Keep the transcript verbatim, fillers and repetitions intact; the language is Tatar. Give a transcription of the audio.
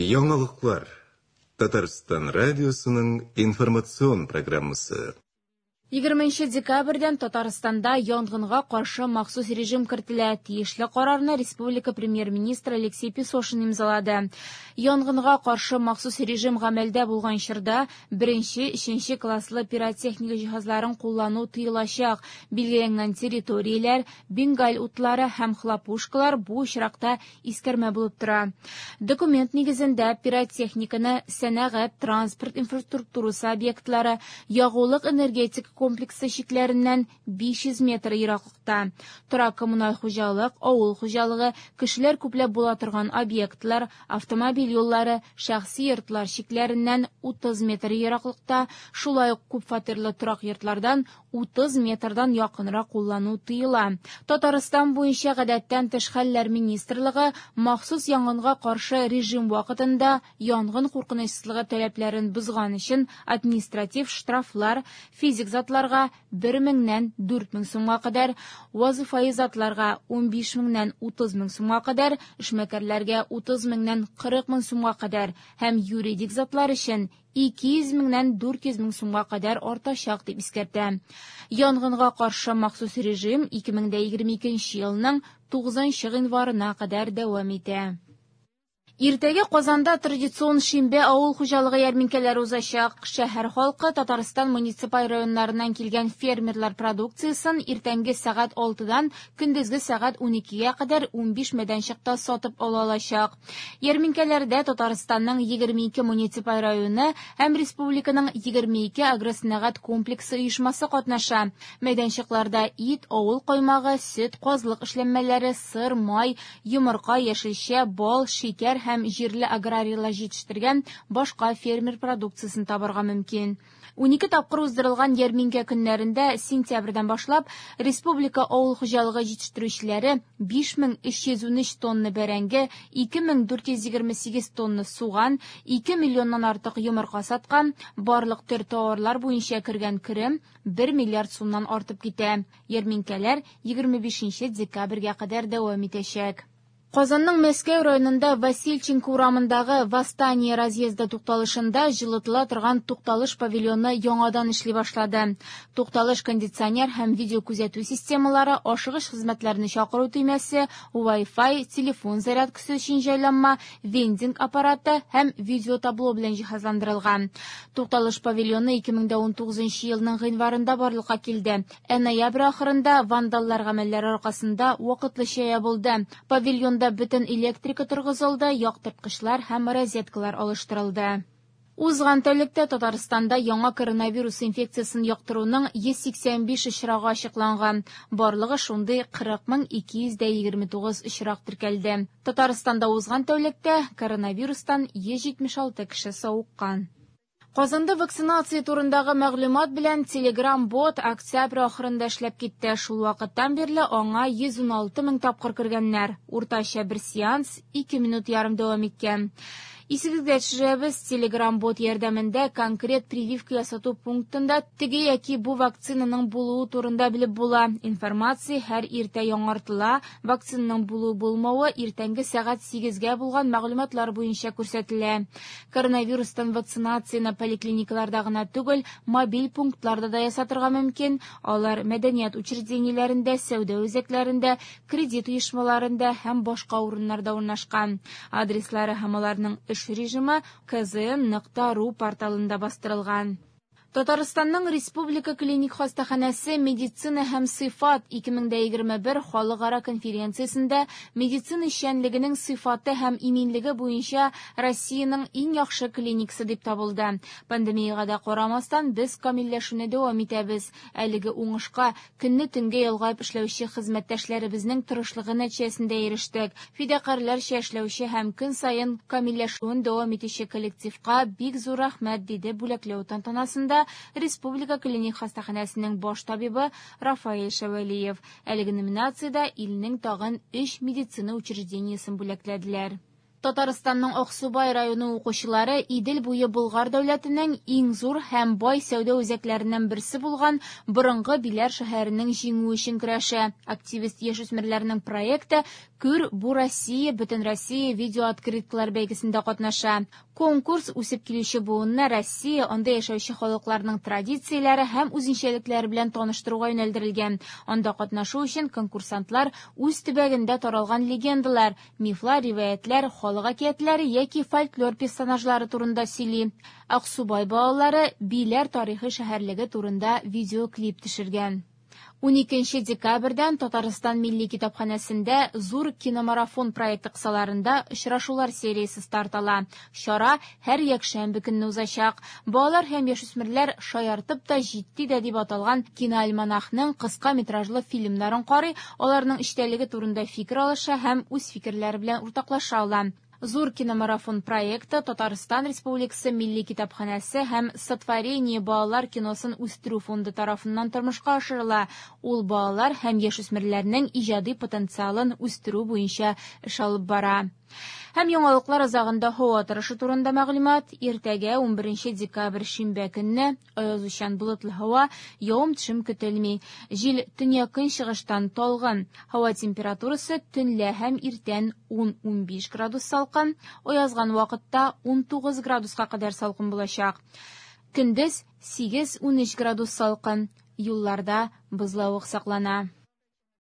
Яңалыклар. Татарстан радиосының информацион программасы. Егерменче декабрьдән Татарстанда янгынга каршы махсус режим кертелә. Тиешле карарны республика премьер-министры Алексей Песошин имзалады. Янгынга каршы махсус режим гамәлдә булган чорда беренче, өченче класслы пиротехника җиһазларын куллану тыелачак. Билгеләнгән территорияләр, бенгаль утлары һәм хлопушкалар бу очракта искәрмә булып тора. Документ нигезендә пиротехниканы сәнәгать, транспорт инфраструктурасы объектлары, ягулык энергетика комплексы чикләреннән биш йөз метр ераклыкта, торак коммуналь хуҗалык, авыл хуҗалыгы, кешеләр күпләп була торган объектлар, автомобиль юллары, шәхси йортлар чикләреннән утыз метр ераклыкта, шулай ук күпфатирлы торак йортлардан утыз метрдан якынрак куллану тыела. Татарстан буенча гадәттән тыш хәлләр министрлыгы махсус янгынга каршы режим вакытында янгын куркынычсызлыгы таләпләрен бозган өчен административ штрафлар физик затларга бер меңнән дүрт мең сумга кадәр, вазифаи затларга унбиш меңнән утыз мең сумга кадәр, эшмәкәрләргә утыз меңнән кырык мең сумга кадәр һәм юридик затлар өчен ике йөз меңнән дүрт йөз мең сумга кадәр артачак дип искәртә. Янгынга каршы махсус режим ике мең дә егерме икенче елның тугызынчы гыйнварына кадәр дәвам итә. Иртәгә Казанда традицион шимбә авыл хуҗалыгы ярминкәләре узачак. Шәһәр халкы Татарстан муниципаль районнарыннан килгән фермерлар продукциясен иртәнге сәгать алтыдан көндезге сәгать уникегә кадәр унбиш мәйданчыкта сатып ала алачак. Ярминкәләрдә Татарстанның егерме ике муниципаль районы һәм республиканың егерме ике агросәнәгать комплексы оешмасы катнаша. Мәйданчыкларда ит, авыл каймагы, сөт, казлык эшләнмәләре, сыр, май, йомырка, яшелчә, бал, шикәр һәм җирле аграрийлар җитештергән башка фермер продукциясен табарга мөмкин. Унике тапкыр уздырылган ярминкә көннәрендә сентябрьдән башлап республика авыл хуҗалыгы җитештерүчеләре биш мең өч йөз унөч тонна бәрәңге, ике мең дүрт йөз егерме сигез тонна суган, ике миллионнан артык йомырка саткан. Барлык төр товарлар буенча кергән керем бер миллиард сумнан артып китә. Ярминкәләр егерме бишенче декабрьгә кадәр дәвам итәчәк. Казанның Мәскәү районында Васильченко урамындагы Восстание разъезды тукталышында җылытыла торган тукталыш павильоны яңадан эшли башлады. Тукталыш кондиционер һәм видеокүзәтү системалары, ашыгыч хезмәтләрне чакыру төймәсе, Wi-Fi, телефон зарядкасы өчен җайланма, вендинг аппараты һәм видеотабло белән җиһазландырылган. Тукталыш павильоны ике мең дә унтугызынчы елның гыйнварында барлыкка килде. Ә ноябрь ахырында вандаллар гамәлләре аркасында вакытлыча ябылды. Павильонда бөтен электрика торгызылды, яктырткычлар һәм розеткалар алыштырылды. Узган тәүлектә Татарстанда яңа коронавирус инфекциясен йоктыруның йөз сиксән биш очрагы ачыкланган. Барлыгы шундый кырык мең ике йөз дә егерме тугыз очрак теркәлде. Татарстанда узган тәүлектә коронавирустан йөз җитмеш алты кеше савыккан. Казанда вакцинация турындагы мәгълүмат белән Telegram-бот октябрь ахырында эшләп китте. Шул вакыттан бирле аңа йөз уналты мең тапкыр кергәннәр. Уртача бер сеанс ике минут ярым дәвам иткән. Исегезгә төшерәбез, Telegram-бот ярдәмендә конкрет прививка ясату пунктында теге яки бу вакцинаның булуы турында белеп була. Информация һәр иртә яңартыла. Вакцинаның булу-булмавы иртәнге сәгать сигезгә булган мәгълүматлар буенча күрсәтелә. Коронавирустан вакцинацияне поликлиникаларда гына түгел, мобиль пунктларда да ясатырга мөмкин. Алар мәдәният учреждениеләрендә, сәүдә үзәкләрендә, кредит оешмаларында һәм башка урыннарда урнашкан. Адреслары һәм аларның эш режимы К З Н нокта ру порталында бастырылган. Татарстанның Республика клиник хастаханәсе медицина һәм сыйфат ике мең дә егерме бер халыкара конференциясендә медицина эшчәнлегенең сыйфаты һәм иминлеге буенча Россиянең иң яхшы клиникасы дип табылды. Пандемиягә дә карамастан без камилләшүне дәвам итәбез. Әлеге уңышка көнне төнгә ялгап эшләүче хезмәттәшләребезнең тырышлыгы нәтиҗәсендә ирештек. Фидакарьләрчә эшләүче һәм көн саен камилләшүен дәвам итүче коллективка бик зур рәхмәт, диде бүләкләү тантанасында Республика клиник хастаханәсенең баш табибы Рафаэль Шәвәлиев. Әлеге номинациядә илнең тагын өч медицина учреждениесен бүләкләделәр. Татарстанның Аксубай районы укучылары Идел буе Болгар дәүләтенең иң зур һәм бай сәүдә үзәкләреннән берсе булган борынгы Биләр шәһәренең җиңүе өчен көрәшә. Активист яшүсмерләрнең проекты «Күр, бу Россия» Бөтенроссия видеооткрыткалар бәйгесендә катнаша. Конкурс үсеп килүче буынны Россия, анда яшәүче халыкларның традицияләре һәм үзенчәлекләре белән таныштыруга юнәлдерелгән. Анда катнашу өчен конкурсантлар үз төбәгендә таралган легендалар, мифлар, риваятлар, халык әкиятләре яки фольклор персонажлары турында сөйли. Аксубай балалары Биләр тарихи шәһәрлеге турында видеоклип төшергән. Уникенче декабрьдән Татарстан Милли китапханәсендә зур киномарафон проекты кысаларында очрашулар сериясе старт ала. Чара һәр якшәмбе көнне узачак. Балалар һәм яшүсмерләр шаяртып та җитди дә дип аталган киноальманахның кыска метражлы фильмнарын карый, аларның эчтәлеге турында фикер алыша һәм үз фикерләре белән уртаклаша ала. Зур киномарафон проекты Татарстан Республикасы Милли китапханәсе һәм Сотворение балалар киносын үстерү фонды тарафыннан тормышка ашырыла. Ул балалар һәм яшүсмерләрнең иҗади потенциалын үстерү буенча эш алып бара. Һәм яңалыклар азагында һава торышы турында мәгълүмат. Иртәгә унберенче декабрь шимбә көнне аязучан болытлы һава, явым-төшем көтелми. Җил төньяк-көнчыгыштан талгын. Һава температурасы төнлә һәм иртән ун-унбиш градус салкын, аязган вакытта унтугыз градуска кадәр салкын булачак. Көндез сигез-унөч градус салкын. Юлларда бозлавык саклана.